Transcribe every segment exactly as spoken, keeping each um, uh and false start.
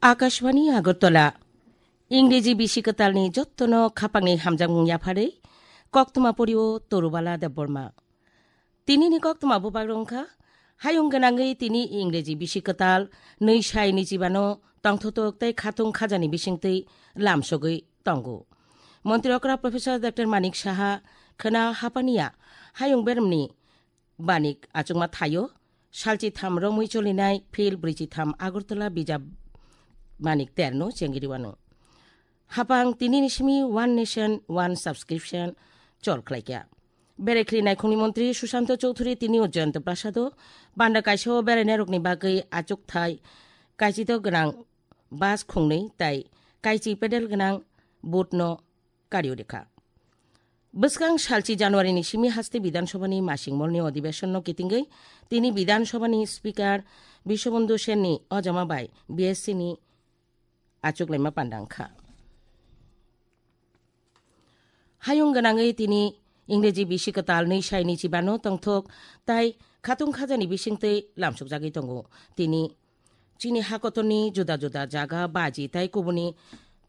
Akashvani Agartala, Ingreji bisi kwtalni jottono khapangni hamjakmung yapharwi, koktwma porio Torubala Debbarma. Tinini koktwma bubagrok wngkha, hayung gwnangwi tini Ingreji bisi kwtal nwi sai nijibano tongthotok tei khatung khajani bisingtwi lamsogwi tongo. Montri okra Professor Doctor Manik Saha khwna hapaniya hayung beremni banik achukma thaio, salchi tham romwi cholinai phil brwichi tham Agartala bijap banik terno chengiriwano. Hapang tinini simi One Nation, One Subscription chol khlaikha. Berekhli naikhungni montri Sushanta Chowdhury tini o Jayanta Prasado panda kaisa o berainairokni bagwi achukthai kaichito gwnang bus khungnwi tai kaichi pedal gwnang boat no kario rikha. Bwskang salchi January ni simi haste Bidhan Sabha ni masing molni odhibeshon no kitingwi tini Bidhan Sabha ni Speaker Biswabandhu Sen ni ojama bai B S C ni achuk laima panda wngkha. Hayung gwnangwi tini Ingreji bisi kwtal nwi sai nwi chibano tongthok tai khatung khajani bisingtwi lamsukjagwi tongo. Tini chini hakotorni juda juda jaga baji tai kubuni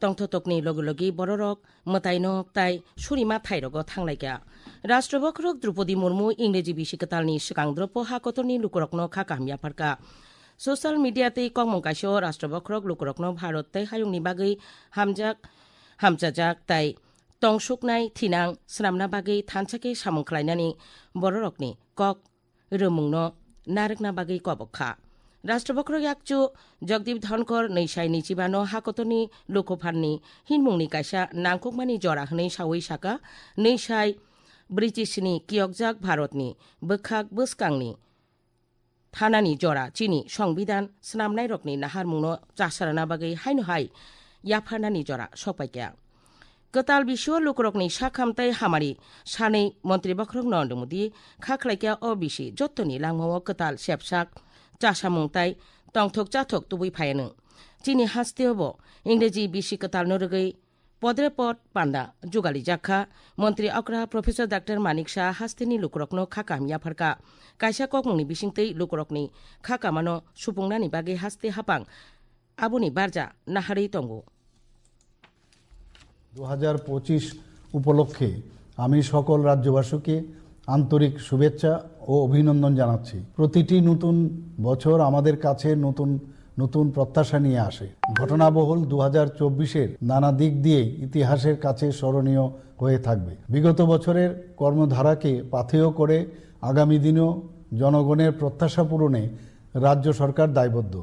tongthotokni logi logi bororok mwtainok tai surima thairogo thanglaikha. Rashtra bokhorok Droupadi Murmu Ingreji bisi kwtalni swkang dropo hakotorni lukurokno kha kaham yapharkha. Social media tei kokmung kaisa o Rashtra bokhorok lukurokno Bharat tei hayungni bagwi hamjak, hamchajak tai tongsuknai thinang swnamna bagwi thansa khe samung khlainani bororokni kok rwmungno narwkna bagwi kobok kha. Rashtra bokhorok yakchu Jagdeep Dhonkor nwi sai nwi chibano hakotorni lukupharni hinmungni kaisa nangkukmani jora hwnwi saui saka, nwi sai brwichi sni kiyokjak Bharatni bwkhak bwskangni thanani jora chini Songbidan swnamnairokni naharmungno chasarana bagwi haino hai yapharnani jora sokpaikha. Kwtal bisio lukurokni sakham tei hamari sanwi Montri Bokhorok Narendra Modi kha khlaikha o bisi jottoni langmao kwtal sepsak chasamung tai tongthok chathok tubui phaianw. Chini hasteo bo Ingreji bisi kwtalno rwgwi podre pod panda jugalijak kha. Montri okra Professor Doctor Manik Saha hasteni lukurokno kha kaham yapharkha. Kaisa kokmungni bisingtwi lukurokni kha kamano supungnani bagwi haste hapang aboni barja naharwi tongo. দু হাজার পঁচিশ উপলক্ষে আমি সকল রাজ্যবাসীকে আন্তরিক শুভেচ্ছা ও অভিনন্দন জানাচ্ছি। প্রতিটি নতুন বছর আমাদের কাছে নতুন নতুন প্রত্যাশা নিয়ে আসে। ঘটনাবহুল দু হাজার চব্বিশের নানা দিক দিয়েই ইতিহাসের কাছে স্মরণীয় হয়ে থাকবে। বিগত বছরের কর্মধারাকে পাথেয় করে আগামী দিনেও জনগণের প্রত্যাশা পূরণে রাজ্য সরকার দায়বদ্ধ।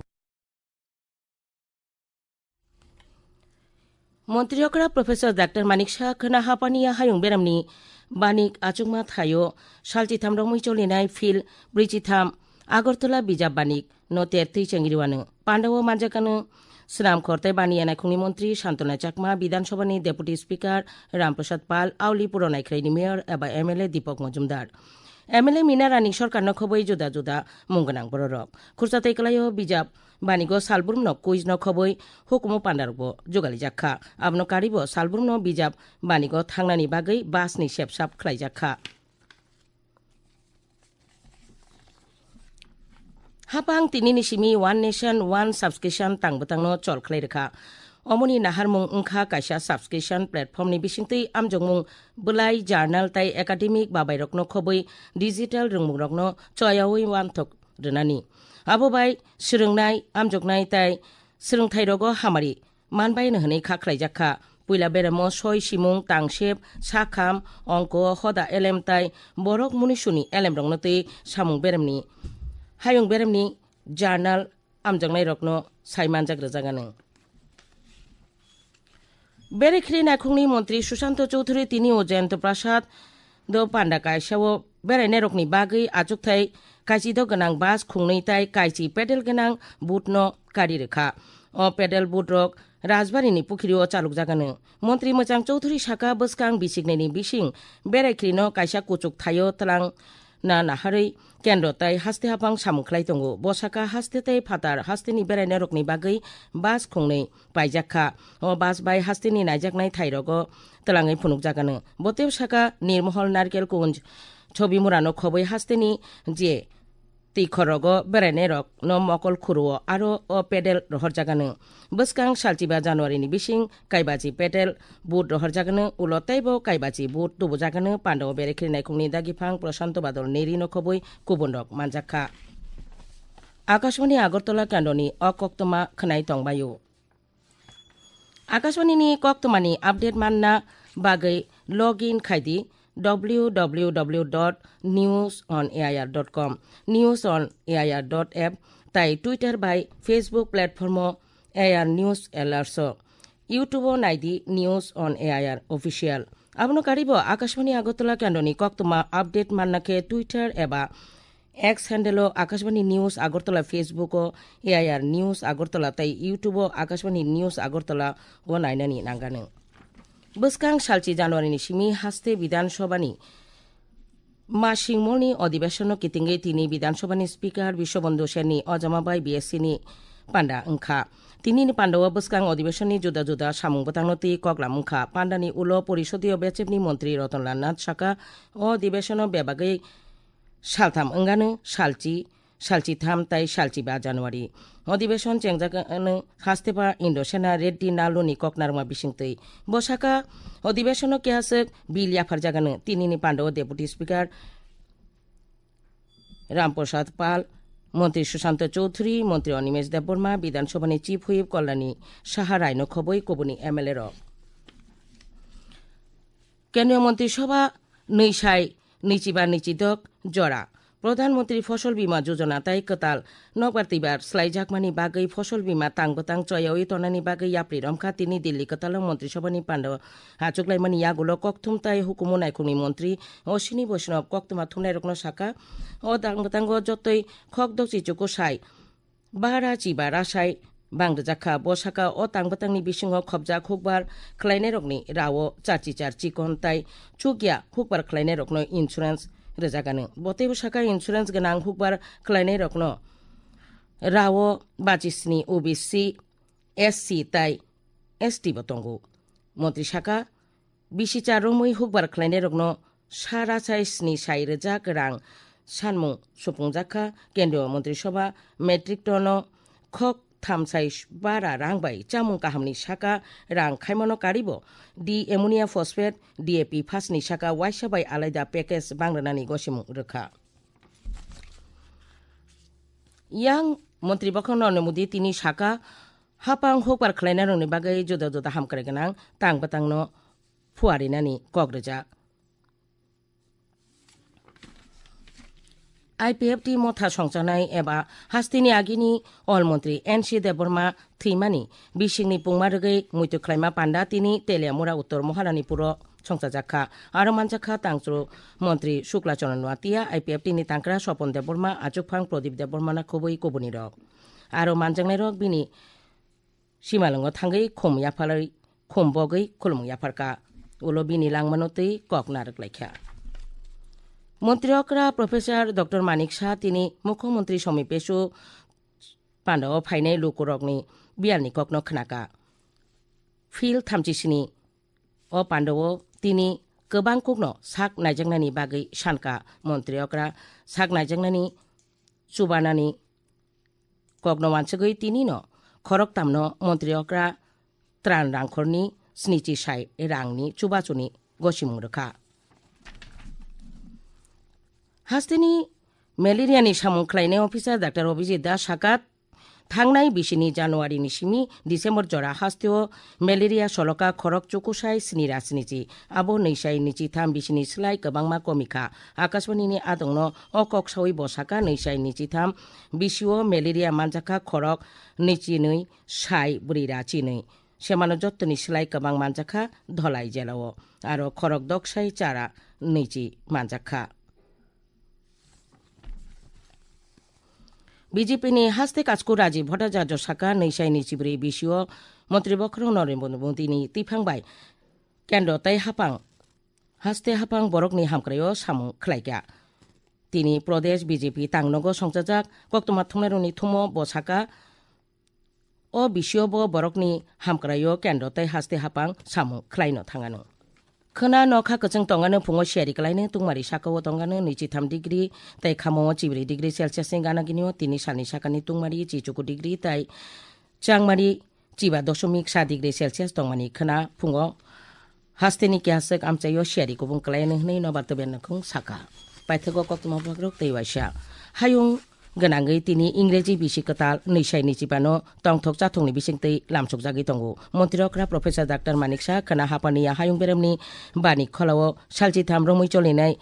Montri okra Professor Doctor Manik Saha khwna hapaniya hayung beramni banik achukma thaio salchitham romwi cholinai phil brwichitham Agartala bijap banik no tertwi chengriwano. Pandao manjakano swnam khor tei baniya naikhungni montri Santona Chakma, Bidhan Sabhani Deputy Speaker Ram Prasad Pal, Auli Puro Naikhraini Mayor eba M L A Deepak Majumdar. M L A Mina Rani sorkarno khobwi juda juda mung gwnang bororok. Khursa tei kwlaio bijap banigo salbrumno quiz no khobwi hukumu pandarokbo jugalijak kha. Abono karibo salbrumno bijap banigo thangnani bagwi bus ni sepsap khlaijak kha. Hapang tinini simi One Nation, One Subscription tang bwtangno chol khlai rwkha. Omoni naharmung wngkha kaisa subscription platform ni bisingtwi amjokmung bwlai, journal tai academic babairokno khobwi digital rwngmungrokno choyaui uanthok rwnani. Abo bai swrwngnai, amjoknai tai swrwngthairogo hamari manbaino hwnwi kha khlaijak kha. Puila beremo soi simung, tangsep, sakham, ongko, hoda elem tai borok munisuni elemrokno twi samung beremni, hayung beremni journal amjaknairokno sai manjak rwjak anw. Berekhri naikhungni montri Sushanta Chowdhury tini o Jayanta Prasad do panda kaisa o berainairokni bagwi achukthai kaichi do gwnang bus khungnwi tai kaichi pedal gwnang boat no kari rwkha. O pedal boat rok Rajbari ni pukhiri o chalukjak anw. Montri Mwchang Chowdhury saka bwskang bisiknai ni bising Berekhri no kaisa kuchuk thaio twlang na naharwi kendro tai haste haphang samung khlai tongo. Bo saka haste tei phatar hasteni berainairokni bagwi bus khungnwi paijak kha. O bus bai hasteni naijaknai thairogo twlangwi phunukjak anw. Bo tei saka Nirmohol Narkel Kunj Chobimurano khobwi hasteni je twi khorogo berainairokno mokol khuruo aro o pedal rohorjagano. Bwskang salchiba January ni bising kaibaji pedal boot rohorjagano, ulo teibo kaibaji boot tubujagano, pandao berekhri naikhungni dagiphang Prashanto Badol Neri no khobwi kubunrok manjakha. Akashvani Agartala kendroni o koktwma khwnai tongbaio. Akashvani ni koktwmani update manna bagwi login khaidi w w w dot news on air dot com, news on air dot app tai Twitter bai Facebook platform o A R News Alerts o. YouTube o naidi News on A I R Official. Abono karibo Akashvani Agartala kendroni koktwma update manna khe Twitter eba X handle o Akashvani News Agartala, Facebook o A I R News Agartala tei YouTube o Akashvani News Agartala o nainani nangano. Bwskang salchi January ni simi haste Bidhan Sabha ni Masingmolni odibesonno kitingwi tini Bidhan Sabhani Speaker Biswabandhu Senni ojama bai B S C ni panda wngkha. Tinini pandao bwskang odibesonni juda juda samung bwtangno twi koklam wngkha. Pandani ulo Porisodiyo Bechepni Montri Rotonlal Nath saka, o odibesonno bebagwi saltham wngano, salchi, salchitham tai salchiba January. Odibeshon chengjak ano hasteba Indosena Reddy Naluni koknarma bisingtwi. Bo saka, odibeshono kehaswk bill yapharjagano. Tinini pandao Deputy Speaker Ramprasad Pal, Montri Sushanta Chowdhury, Montri Animesh Debbarma, Bidhan Sabhani Chief Whip Kalyani Saha Raino khobwi kubuni M L A rok. Kendriya Montri Sabha nwi sai nwichiba nwichidok jora. Pradhan Montri Fosol Bima Jojona tai kwtal nokbar twibar slaijakmani bagwi Fosol Bima tang bwtang choyawi tonani bagwi yapri romkha. Tini Delhi kwtalo Montri Sabhani pando achuklaimani yagulo kokthum tai hukumu naikhungni montri Ashwini Vaishnaw koktwma thumnairokno saka, o tang bwtango jotoi khok dokchi chuku sai bara chiba rasai bang rwjakha. Bo saka o tang bwtangni bisingo khopjak hukbar khlainairokni rao charchi char chikon tai chukya hukbar khlainairokno insurance rwjagano. Bo teibo saka insurance gwnang hukbar khlainairokno rao bachisni O B C, S C tai S T bo tongo. Montri saka, bisi cha romwi hukbar khlainairokno sa rachai sni sai rwjak rang sanmung supungjak kha. Kendriya Montri Sabha metric ton o khok thamsai bara rang bai chamung kahamni saka rang khaimano karibo D Ammonia Phosphate, D A P phasni saka waisa bai alaida package bang rwnani gosimung rwkha. Yang Montri Bokhorok Narendra Modi tini saka, hapang hukbar khlainairokni bagwi juda juda hamkrai gwnang tang bwtangno phuarinani kok rwjak. I P F T motha songchanai eba hasteni agini Ol Montri N C Debbarma thwimani bisingni pungma rwgwi muitu khlaima panda tini Teliamura Uttor Maharanipuro songchajak kha. Aro manjak kha tangchwlwi Montri Shukla Charan Noatia, I P F T ni tangkra Swapon Debbarma, achukphang Pradip Debbarma na khobwi kubunirok. Aro manjaknairok bini simalwngo thangwi khum yapharwi, khum bogwi khulumung yapharkha. Ulo bini langmano twi kok narwk laikha. Montri okra Professor Doctor Manik Saha tini Mukhyamantri Somi Pesu pandao phainai lukurokni biyalni kokno khnaka. Phil thamchisini o pandao tini kwbang kokno sak naijaknani bagwi sankha. Montri okra sak naijaknani chubanani kokno wansugwi tinino khoroktamno Montri okra tran rangkhorni snichi sai rangni chubachuni gosimung rwkha. Hasteni malaria ni samung khlainai officer Doctor Abhijit Das saka, thangnai bisini January ni simi December jora hasteo malaria soloka khorok chukusai sni ra snichi, abo nwisai nwichi tham bisini slai kwbangma komikha. Akashvani ni adongno o kok sawi bo saka, nwisai nwichi tham bisio malaria manjakha khorok nwichi nwi sai bwrwi ra chinwi. Semano jottoni slai kwbang manjakha Dholai jelao, aro khorok doksai chara nwichi manjakha. B J P ni haste kachku Rajiv Bhattacharya saka, nwisai nwichi bwrwi bisio Montri Bokhorok Narendra Modi ni twiphang bai kendro tei haphang haste haphang borokni hamkraio samung khlaikha. Tini Pradesh B J P tangnogo songchajak koktwma thumnairokni thumo bo saka, o bisio bo borokni hamkraio kendro tei haste haphang samung khlaino thangano. Khwna nokha kwchwng tongano phungo siyari kwlaino tungmari sakao tongano nwichitham degree tei khamungo chibri degree Celsius ni gana ginio tini salni sakani tungmari chichuku degree tei changmari chiba dosomik sa degree Celsius tongmani khwna phungo hasteni kehaswk amchaio siyari kubung kwlaino hwnwi nobar tubyan nangkhung saka. Paithago koktwma bwlagrok tei waisa hayung gwnangwi tini Ingreji bisi kwtal nwi sai nwi chibano tongthok chathokni bisingtwi lamsokjagwi tongo. Montri okra Professor Doctor Manik Saha khwna hapaniya hayung beremni bani kholao salchitham romwi cholinai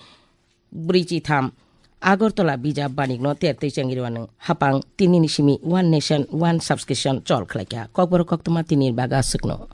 brwichitham Agartala bijap banikno tertwi chengri wano hapang tinini simi One Nation, One Subscription chol khlaikha. Kokborok koktwma tini baga swkno.